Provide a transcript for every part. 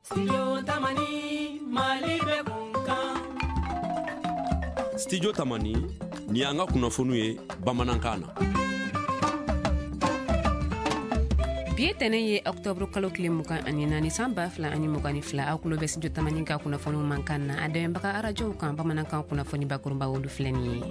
Studio Tamani, Mali bɛ kunkan. Studio Tamani, nin y'an ka kunnafoniw ye bamanankan na. Bi ye tɛnɛ ye, ɔktɔburu kalo tile 24, san 2022. Aw kulo bɛ Studio Tamani ka kunnafoniw mankan na, a dɛmɛbaga arajow kan. Bamanankan kunnafoni bakurunba, olu filɛ nin ye.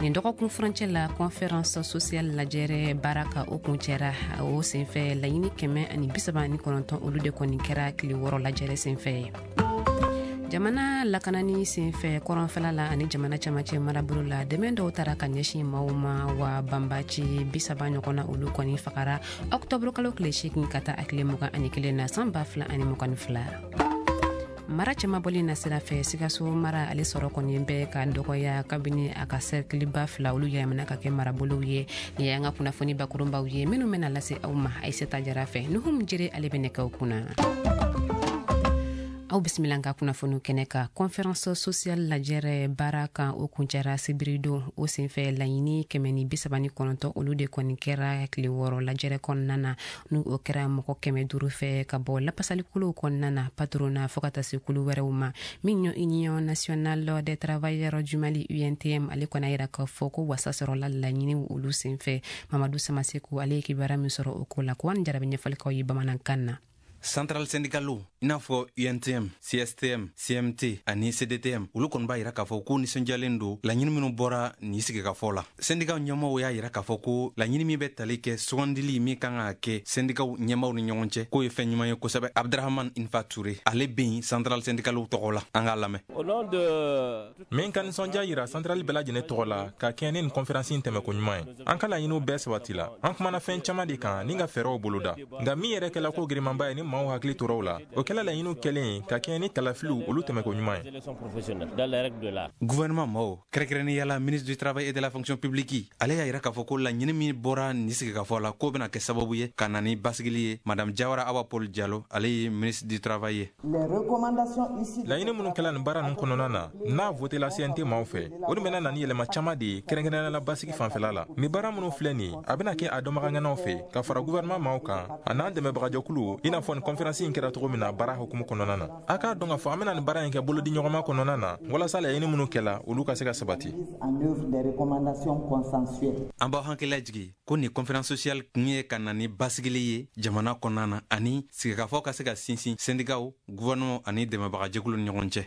Nin dɔgɔkun furancɛ la, conférence sociale lajɛrɛ baara ka o kuncɛra. O senfɛ, laɲini 139, olu de kɔni kɛra tile 6 lajɛrɛ senfɛ. Jamana lakanani senfɛ kɔrɔnfɛla la ani jamana camancɛ marabolo la, dɛmɛ dɔw tara ka ɲɛsin maaw ma. Wa banbaci 30 ɲɔgɔn na, olu kɔni fagara ɔktɔburu kalo tile 8 ka taa a tile 21 na, san 2022. Mara cɛmabɔli na sira fɛ, Sikaso mara ale sɔrɔ kɔni bɛ ka dɔgɔya kabini a ka sɛrikiliba fila, olu yɛlɛmana ka kɛ marabolow ye. Nin y'an ka kunnafoni bakurunbaw ye minnu bɛna lase aw ma Ayisata Jara fɛ. Nuhum Jere, ale bɛ nɛgɛw kunna. Aw bisimila ka kunnafoniw kɛnɛ kan. Conférence sociale lajɛrɛ baara kan, o kuncɛra sibiridon. O senfɛ, laɲini 139, olu de kɔni kɛra tile 6 lajɛrɛ kɔnɔna na. N'u o kɛra mɔgɔ 500 fɛ ka bɔ lapasalikuluw kɔnɔna na, patronat fɔɔ ka taa se kulu wɛrɛw ma. Min ye Union nationale des travailleurs du Mali, UNTM, ale kɔni a yira k'a fɔ ko wasa sɔrɔla laɲiniw olu senfɛ. Mamadu Samaseku, ale ye kibaruya min sɔrɔ o ko la, ko ani jarabi ɲɛfɔlikaw ye bamanankan na. Centrale syndicale i n'a fɔ UNTM, CSTM, CMT ani CDTM, olu kɔni b'a yira k'a fɔ k'u nisɔndiyalen don laɲini minnu bɔra nin sigikafɔ la. Sendikaw ɲɛmɔgɔw y'a yira k'a fɔ ko laɲini min bɛ tali kɛ sugandili min kan ka kɛ sendikaw ɲɛmaw ni ɲɔgɔn cɛ, k'o ye fɛn ɲuman ye kosɛbɛ. Abdrahaman Infa Ture, ale bɛ yen centrale syndicalew tɔgɔ la, an k'a lamɛn. Min ka nisɔndiya yira centrale bɛɛ lajɛlen tɔgɔ la ka kɛɲɛ ni nin conférence in tɛmɛko ɲuman ye. An ka laɲiniw bɛɛ sabatila. An kumana fɛn caman de kan ni ka fɛɛrɛw boloda, nka min yɛrɛ kɛla ko girimanba ye ni maaw hakili tora o la, o kɛla laɲiniw kɛlen ka kɛɲɛ ni kalafiliw olu tɛmɛko ɲuman ye. Gouvernement maaw, kɛrɛnkɛrɛnnenya la ministre du Travail et de la Fonction publique, ale y'a yira k'a fɔ ko laɲini min bɔra nin sigikafɔ la, k'o bɛna kɛ sababu ye ka na ni basigili ye. Madame Jawara Awa Paul Jalo, ale ye ministre du Travail ye. Laɲini minnu kɛla nin baara ninnu kɔnɔna na, n'a votela CNT maaw fɛ, o de bɛna na ni yɛlɛma caman de ye, kɛrɛnkɛrɛnnenya la basigi fanfɛla la. Nin baara minnu filɛ nin ye, a bɛna kɛ a dɔnbagaŋanaw fɛ ka fara gouvernement maaw kan a n'an dɛmɛbagajɛkulu, i n'a fɔ nin conférence in kɛra cogo min na baara hukumu kɔnɔna na. A k'a dɔn k'a fɔ an bɛna nin baara in kɛ bolodi ɲɔgɔnma kɔnɔna na, walasa laɲini minnu kɛla, olu ka se ka sabati. An b'aw hakili lajigi ko nin conférence sociale kun ye ka na ni basigili ye jamana kɔnɔna na ani sigikafɔ ka se ka sinsin sendikaw, gouvernement ani dɛmɛbagajɛkulu ni ɲɔgɔn cɛ.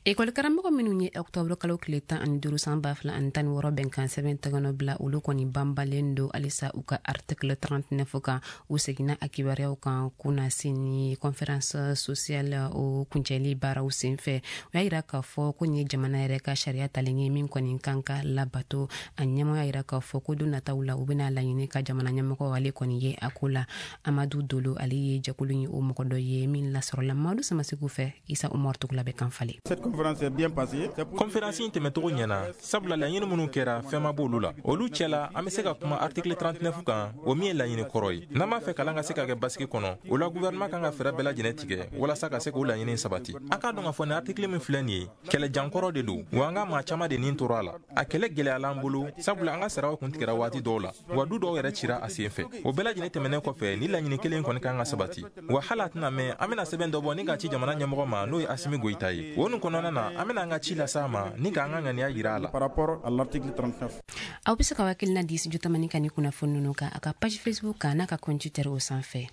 Ekɔli karamɔgɔ minnu ye ɔktɔburu kalo tile 15, san 2016 bɛnkan sɛbɛn tɛgɛnɔ bila, olu kɔni banbalen don halisa u ka article 39 kan. U seginna a kibaruyaw kan kunnasini conférence sociale o kuncɛli baaraw senfɛ. U y'a yira k'a fɔ ko nin ye jamana yɛrɛ ka sariya talen ye min kɔni kan ka labato. A ɲɛmɔgɔ y'a yira k'a fɔ ko don nataw la, u bɛna laɲini ka jamana ɲɛmɔgɔ ale kɔni ye a ko la. Amadu Dolo, ale ye jɛkulu ye o mɔgɔ dɔ ye min lasɔrɔla Madu Samasiku fɛ. Isa Umar Tugula bɛ kan falen. Cette conférence est bien passée. Conférence in tɛmɛcogo ɲɛna, sabula laɲini minnu kɛra, fɛn ma b'olu la. Olu cɛla, an bɛ se ka kuma article 39 kan, o min ye laɲini kɔrɔ ye. N'an b'a fɛ kalan ka se ka kɛ basigi kɔnɔ, o la gouvernement kan ka fɛɛrɛ bɛɛ lajɛlen tigɛ walasa ka se k'o laɲini sabati. A k'a dɔn k'a fɔ nin article min filɛ nin ye, kɛlɛjankɔrɔ de don wa. An ka maa caman de nin tora a la. A kɛlɛ gɛlɛyala an bolo, sabula an ka saraw kun tigɛra waati dɔw la, wa du dɔw yɛrɛ cira a sen fɛ. O bɛɛ lajɛlen tɛmɛnen kɔfɛ, ni laɲini kelen kɔni kan ka sabati. Wa hali a tɛna mɛn, an bɛna sɛbɛn dɔ bɔ ni k'a ci jamana ɲɛmɔgɔ ma, n'o ye Asimi Goyita ye. O nin kɔnɔna na, an bɛna an ka ci lase a ma ni k'an ka ŋaniya yira a la. Par rapport à l'article 39. Aw bɛ se ka hakilina di Studio Tamani ka ni kunnafoni ninnu kan a ka page Facebook kan n'a ka compte Twitter o sanfɛ.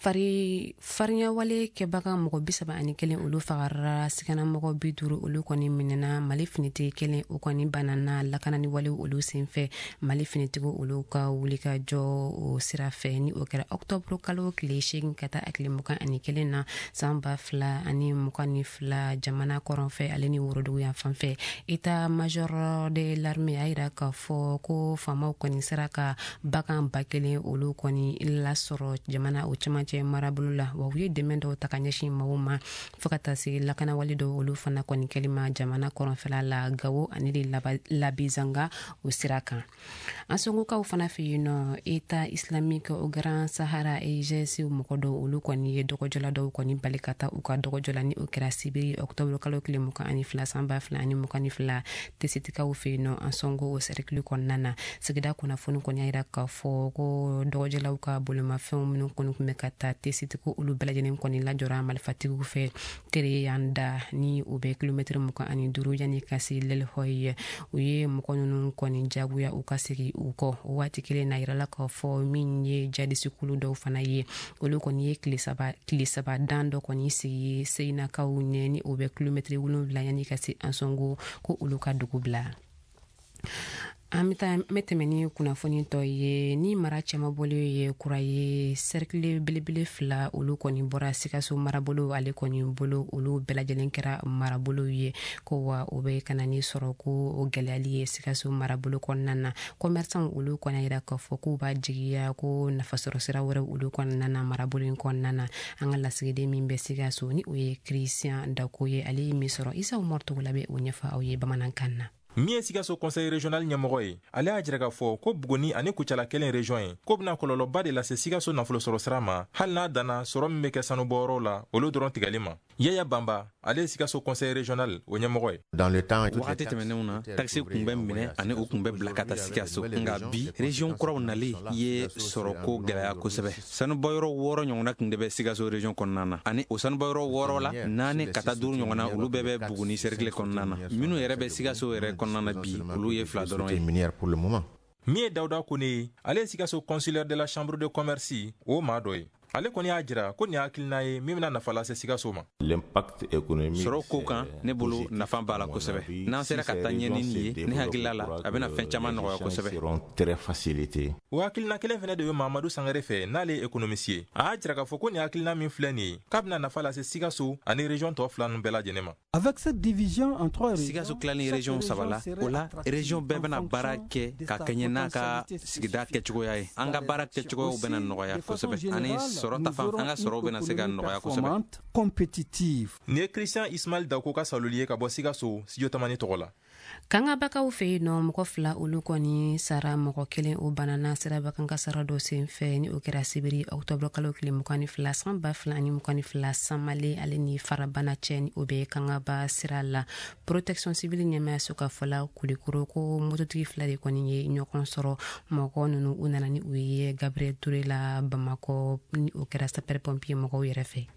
Fari farinyawale kɛbaga mɔgɔ 31, olu fagara, siganamɔgɔ 50, olu kɔni minɛna. Mali finitigi kelen, o kɔni banana lakanani walew olu senfɛ, Mali finitigiw olu ka wulikajɔ o sira fɛ. Ni o kɛra ɔktɔburu kalo tile 8 ka taa a tile 21 na, san 2022, jamana kɔrɔnfɛ ale ni worodugu yan fan fɛ. État major de l'armée y'a yira k'a fɔ ko faamaw kɔni sera ka bagan 1000, olu kɔni lasɔrɔ jamana o cɛmancɛ marabolo la. Wa u ye dɛmɛ dɔw ta ka ɲɛsin maaw ma, fɔɔ ka taa se lakanawale dɔw olu fana kɔni kɛli ma jamana kɔrɔnfɛla la, Gawo ani de Labezanga o sira kan. An songokaw fana fɛ yen nɔ, État islamique au Grand Sahara, EIGS mɔgɔ dɔw, olu kɔni ye dɔgɔjɔla dɔw kɔni bali ka taa u ka dɔgɔjɔ la. Ni o kɛra sibiri octobre kalo tile 22, san 2022, Tesitikaw fɛ yen nɔ, an sɔngo o cercle kɔnɔna na. Sigida kunnafoni kɔni y'a yira k'a fɔ ko dɔgɔjɔlaw ka bolimafɛnw minnu kɔni tun bɛ ka taa taa Tessit, ko olu bɛɛ lajɛlen kɔni lajɔra malifatigiw fɛ Tereyanda, ni u bɛ kilomɛtiri 25 yanni ka se Lɛlɛhɔyi. U ye mɔgɔ ninnu kɔni jagoya u ka segin u kɔ. O waati kelen na, yirala k'a fɔ min ye jadisikulu dɔw fana ye, olu kɔni ye tile 3 dan dɔ kɔni sigi Seyinakaw ɲɛ, ni o bɛ kilomɛtiri 7 yanni ka se Ansongo, ko olu ka dugu bila. An bɛ taa, n bɛ tɛmɛ ni kunnafoni tɔ ye. Ni mara cɛmabɔli ye kura ye, cercle belebele fila, olu kɔni bɔra Sikaso marabolo ale kɔni bolo. Olu bɛɛ lajɛlen kɛra marabolow ye, ko wa o bɛ ka na ni sɔrɔ ko o gɛlɛyali ye Sikaso marabolo kɔnɔna na. Commerçant olu kɔni yira k'a fɔ k'u b'a jigiya ko nafasɔrɔ sira wɛrɛ olu kɔnɔna na marabolo in kɔnɔna na. An ka lasigiden min bɛ Sikaso, ni o ye Christian Dako ye, ale ye min sɔrɔ, Isa Umaru Togola bɛ o ɲɛfɔ aw ye bamanankan na. Min ye Sikaso conseil régional ɲɛmɔgɔ ye, ale y'a jira k'a fɔ ko Buguni ani Kucala kelen région ye, k'o bɛna kɔlɔlɔba de lase Sikaso nafolo sɔrɔ sira ma, hali n'a danna sɔrɔ min bɛ kɛ sanubɔyɔrɔw la, olu dɔrɔn tigɛli ma. Yaya Banba, ale ye Sikaso conseil régional o ɲɛmɔgɔ ye. Wagati tɛmɛnenw na, takisi kun bɛ minɛ ani u kun bɛ bila ka taa Sikaso, nka bi, région kuraw nali ye sɔrɔko gwɛlɛya kosɛbɛ. Sanubɔyɔrɔ wɔɔrɔ ɲɔgɔnna kun de bɛ Sikaso région kɔnɔna na, ani o sanubɔyɔrɔ wɔɔrɔ la, naani ka taa duuru ɲɔgɔnna, olu bɛɛ bɛ Buguni cercle kɔnɔna na. Minnu yɛrɛ bɛ Sikaso yɛrɛ kɔnɔna na bi, olu ye fila dɔrɔn ye. Min ye Dawuda Kone ye, ale ye Sikaso consulaire de la chambre de commerce o maa dɔ ye. Ale kɔni y'a jira ko nin hakilina ye min bɛna nafa lase Sikaso ma. Sɔrɔ ko kan, ne bolo, nafa b'a la kosɛbɛ. N'an sera ka taa ɲɛ ni nin ye, ne hakilila la, a bɛna fɛn caman nɔgɔya kosɛbɛ. O hakilina kelen fɛnɛ de bɛ Mamadu Sangare fɛ, n'ale ye économiste ye. A y'a jira k'a fɔ ko nin hakilina min filɛ nin ye, k'a bɛna nafa lase Sikaso ani région tɔ fila ninnu bɛɛ lajɛlen ma. Sikaso tilalen région saba la, o la région bɛɛ bɛna baara kɛ ka kɛɲɛ n'a ka sigida kɛcogoya ye. An ka baara kɛcogoyaw bɛna nɔgɔya kosɛbɛ, ani sɔrɔ ta fan, an ka sɔrɔw bɛna se ka nɔgɔya kosɛbɛ. Nin ye Christian Ismail Dako ka saloli ye ka bɔ Sikaso, Studio Tamani tɔgɔ la. Kangabakaw fɛ yen nɔ, mɔgɔ fila olu kɔni sara, mɔgɔ kelen o banana sirabakan kasara dɔ sen fɛ, ni o kɛra sibiri ɔktɔburu kalo tile 22 san 2022, Samale ale ni Farabana cɛ, ni o bɛ Kangaba sira la. Protection civile ɲɛmayaso ka fɔla, Kulikoro, ko mototigi fila de kɔni ye ɲɔgɔn sɔrɔ. Mɔgɔ nunu, u nana ni u ye Gabriel Touré la Bamakɔ, ni o kɛra sapeur pompier mɔgɔw yɛrɛ fɛ.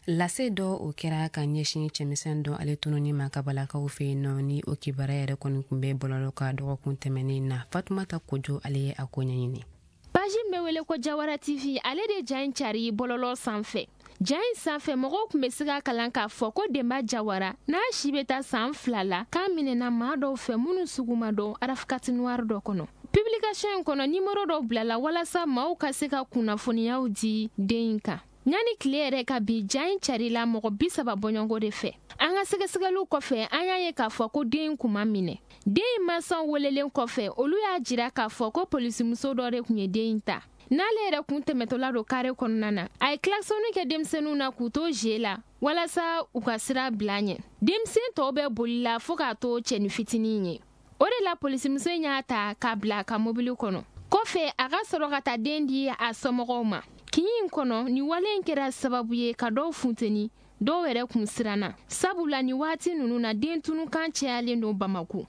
Lase dɔ o kɛra ka ɲɛsin cɛmisɛn dɔ ale tununi ma Kabalakaw fɛ yen nɔ, ni o kibaruya yɛrɛ kɔni kun bɛ bɔlɔlɔ ka dɔgɔkun tɛmɛnen na. Fatumata Kojo, ale ye a ko ɲɛɲini. Page min bɛ wele ko Jawara TV, ale de ja in cari bɔlɔlɔ sanfɛ. Ja in sanfɛ, mɔgɔw tun bɛ se ka kalan k'a fɔ ko Denba Jawara, n'a si bɛ taa san 2 la, k'a minɛna maa dɔw fɛ minnu sugu ma dɔn, RAV4 noir dɔ kɔnɔ. Publication in kɔnɔ, nimoro dɔw bilala walasa maaw ka se ka kunnafoniyaw di den in kan. Ɲani tile yɛrɛ ka bi, ja in carila mɔgɔ 30 bɔɲɔgɔnko de fɛ. An ka sɛgɛsɛgɛliw kɔfɛ, an y'a ye k'a fɔ ko den in kun ma minɛ. Den in mansaw welelen kɔfɛ, olu y'a jira k'a fɔ ko polisimuso dɔ de kun ye den in ta, n'ale yɛrɛ kun tɛmɛtɔla don kare kɔnɔna na, a ye klaxonni kɛ denmisɛnninw na k'u to ze la walasa u ka sira bila ɲɛ. Denmisɛn tɔw bɛ boli la fɔɔ k'a to cɛni fitinin ye. O de la polisimuso in y'a ta k'a bila a ka mobili kɔnɔ. Kɔfɛ, a ka sɔrɔ ka taa den di a somɔgɔw ma. Kin in kɔnɔ, nin wale in kɛra sababu ye ka dɔw funteni, dɔw yɛrɛ kun siranna, sabula nin waati ninnu na, den tunukan cayalen don Bamako.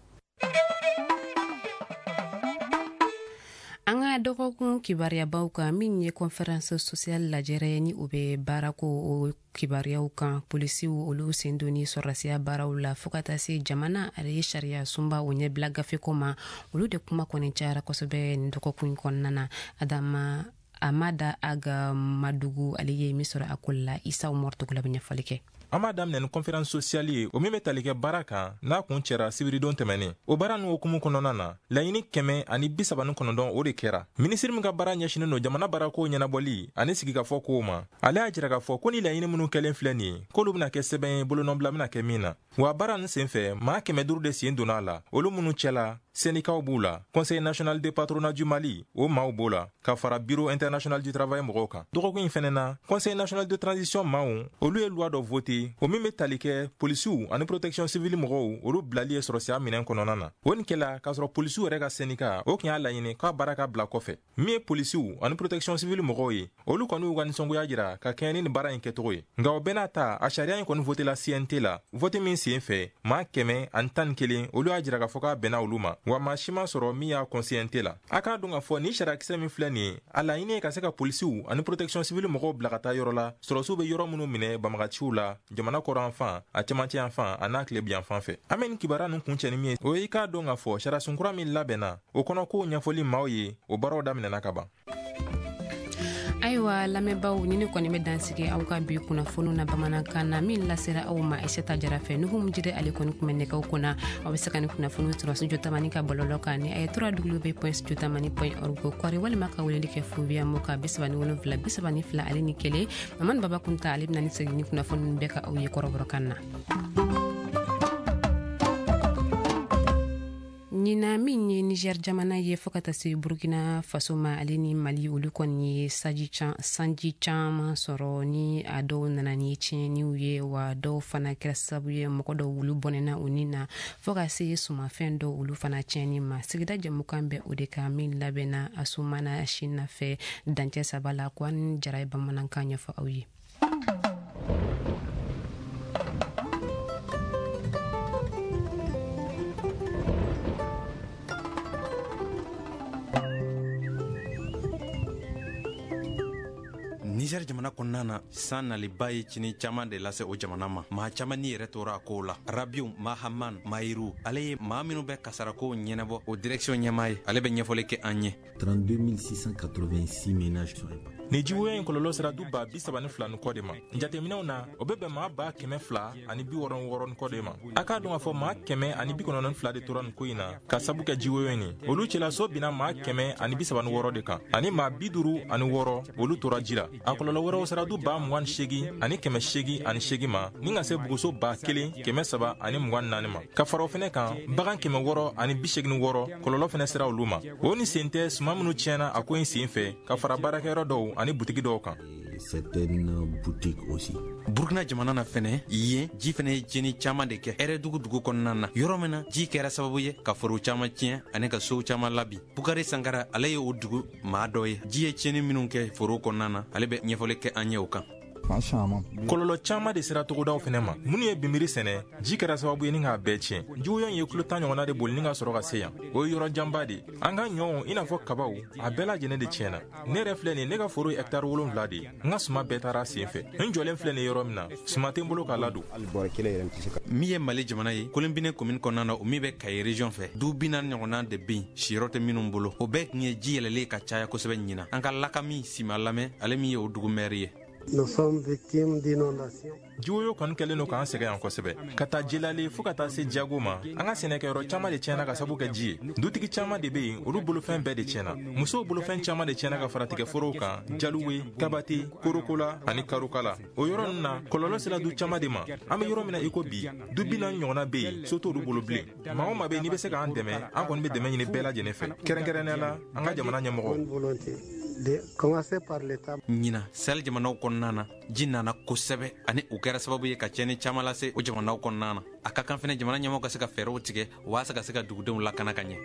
An ka dɔgɔkun kibaruyabaw kan, min ye conférence sociale lajɛrɛ, ni o bɛ baarako o kibaruyaw kan, polisiw olu sen donni sɔrɔdasiya baaraw la, fɔɔ ka taa se jamana ale ye sariya sunba o ɲɛbila gafeko ma, olu de kuma kɔni cayara kosɛbɛ nin dɔgɔkun kɔnɔna na. Adama Amada Aga Madugu, ale ye min sɔrɔ a ko la, Isa Umar Togola bɛ ɲɛfɔli kɛ. An b'a daminɛ ni conférence sociale ye, o min bɛ tali kɛ baara kan, n'a kun cɛra sibiridon tɛmɛnen. O baara n'o hukumu kɔnɔna na, laɲini 139, o de kɛra. Minisiri min ka baara ɲɛsinin don jamana baarako ɲɛnabɔli ani sigikafɔ kow ma, ale y'a jira k'a fɔ ko ni laɲini minnu kɛlen filɛ nin ye, k'olu bɛna kɛ sɛbɛn ye bolonɔbila bɛna kɛ min na. Wa baara nin senfɛ, maa 500 de sen donna a la, olu minnu cɛla syndicats b'u la, Conseil national de patronat du Mali o maaw b'o la, ka fara Bureau international du travail mɔgɔw kan. Dɔgɔkun in fɛnɛ na, Conseil national de transition maaw, olu ye loi dɔ voté, o min bɛ tali kɛ polisiw ani protection civile mɔgɔw, olu bilali ye sɔrɔsiya minɛn kɔnɔna na. O nin kɛla k'a sɔrɔ polisiw yɛrɛ ka syndicat o tun y'a laɲini k'a baara ka bila kɔfɛ. Min ye polisiw ani protection civile mɔgɔw ye, olu kɔni y'u ka nisɔngoya jira ka kɛɲɛ ni nin baara in kɛcogo ye. Nka o bɛɛ n'a ta, a sariya in kɔni voté la CNT la, vote min sen fɛ, maa 111, olu y'a jira k'a fɔ k'a bɛnna olu ma. Wa maa si ma sɔrɔ min y'a kɔn CNT la. A k'a dɔn k'a fɔ ni sariyakisɛ min filɛ nin ye, a laɲini ye ka se ka polisiw ani protection civile mɔgɔw bila ka taa yɔrɔ la, sɔrɔsiw bɛ yɔrɔ minnu minɛ banbagaciw la jamana kɔrɔn fan, a cɛmancɛ yan fan, a n'a tilebin fan fɛ. An bɛ nin kibaruya ninnu kuncɛ ni min ye, o ye i k'a dɔn k'a fɔ sariyasun kura min labɛnna, o kɔnɔ kow ɲɛfɔli maaw ye, o baaraw daminɛna ka ban. Ayiwa lamɛnbaaw, ni ne kɔni bɛ dansigi aw ka bi kunnafoniw na bamanankan na min lasera aw ma Aisata Jara fɛ. Nuhum Jire ale kɔni kun bɛ nɛgɛw kunna. Aw bɛ se ka ni kunnafoniw sɔrɔ Studio Tamani ka bɔlɔlɔ kan ni a ye www.studiotamani.org kɔri, walima ka weleli kɛ Fubiya mo ka 37 32 ale ni 1. Mamadu Baba Kunta ale bɛna ni segin ni kunnafoni bɛɛ ka aw ye kɔrɔbɔrɔkan na. Ɲinan min ye Niger jamana ye fo ka taa se Burkina Faso ma ale ni Mali, olu kɔni ye sanji caman sɔrɔ ni a dɔw nana ni tiɲɛniw ye, wa dɔw fana kɛra sababu ye mɔgɔ dɔw olu bɔnɛna u ni na, fo ka se sumafɛn dɔw olu fana tiɲɛni ma. Sigida jɛmukan bɛ o de kan min labɛnna Asumana Sina fɛ dancɛ 3 la. Ko an Jara ye bamanankan ɲɛfɔ aw ye. Niger jamana kɔnɔna na, san naliba ye cini caman de lase o jamana ma. Maa caman ni yɛrɛ tora a kow la. Rabiu Mahaman Mayiru, ale ye maa minnu bɛ kasarakow ɲɛnabɔ o direction ɲɛmaa ye, ale bɛ ɲɛfɔli kɛ an ye. 32 686 ménages sont impactés. Ni jiwoyo in kɔlɔlɔ sera du 32,000 ni kɔ de ma. Jateminɛw na, o bɛ bɛn maa 266 ni kɔ de ma. A k'a dɔn k'a fɔ maa 192 de tora nin ko in na ka sabu kɛ jiwoyo in ye. Olu cɛla, so binna maa 136 de kan, ani maa 56 olu tora ji la. A kɔlɔlɔ wɛrɛw sera du 28,808 ma, ni ka se buguso 1,324 ma. Ka fara o fɛnɛ kan, bagan 686, kɔlɔlɔ fɛnɛ sera olu ma. O ni sen tɛ suman minnu tiɲɛna a ko in sen fɛ, ka fara baarakɛyɔrɔ dɔw ani butigi dɔw kan. Certaines boutiques aussi. Burkina jamana na fɛnɛ, yen ji fɛnɛ ye tiɲɛni caman de kɛ Ɛrɛdugu dugu kɔnɔna na, yɔrɔ min na ji kɛra sababu ye ka forow caman tiɲɛ ani ka sow caman labi. Bukari Sankara, ale ye o dugu maa dɔ ye. Ji ye tiɲɛni minnu kɛ forow kɔnɔna na, ale bɛ ɲɛfɔli kɛ an ye o kan. Kɔlɔlɔ caman de sera togodaw fɛnɛ ma. Minnu ye binbiri sɛnɛ, ji kɛra sababu ye ni k'a bɛɛ tiɲɛ. Jiwoyo ye kilo 10 ɲɔgɔnna de boli ni ka sɔrɔ ka se yan. O ye yɔrɔ janba de. An ka ɲɔw, i n'a fɔ kabaw, a bɛɛ lajɛlen de tiɲɛna. Ne yɛrɛ filɛ nin, ne ka foro ye hɛkitari 7 de ye. N ka suma bɛɛ taara sen fɛ. N jɔlen filɛ nin yɔrɔ min na, suma tɛ n bolo k'a ladon. Min ye Mali jamana ye, Kolimbine commune kɔnɔna na, o min bɛ Kayi région fɛ, du 40 ɲɔgɔnna de bɛ yen siyɔrɔ tɛ minnu bolo. O bɛɛ tun ye ji yɛlɛlen ka caya kosɛbɛ ɲinan. An ka Lakami Sima lamɛn, ale min ye o dugu maire ye. Nous sommes victimes d'inondations. Jiwoyo kɔni kɛlen don k'an sɛgɛn yan kosɛbɛ, ka taa Jelale fɔɔ ka taa se Jago ma. An ka sɛnɛkɛyɔrɔ caman de tiɲɛna ka sabu kɛ ji ye. Dutigi caman de be yen, olu bolofɛn bɛɛ de tiɲɛna. Musow bolofɛn caman de tiɲɛna ka fara tigɛforow kan, Jaluwe, Kabate, Korokola ani Karokala. O yɔrɔ ninnu na, kɔlɔlɔ sera du caman de ma. An be yɔrɔ min na i ko bi, du 40 ɲɔgɔnna be yen, so t'olu bolo bilen. Maa o maa be yen n'i be se k'an dɛmɛ, an kɔni be dɛmɛ ɲini bɛɛ lajɛlen fɛ, kɛrɛnkɛrɛnnenya la an ka jamana ɲɛmɔgɔ. Commencer par l'État. Ɲina Sahel jamanaw kɔnɔna na, ji nana kosɛbɛ ani o kɛra sababu ye ka tiɲɛni caman lase o jamanaw kɔnɔna na. A ka kan fɛnɛ jamana ɲɛmɔgɔ ka se ka fɛɛrɛw tigɛ waasa ka se ka dugudenw lakana ka ɲɛ.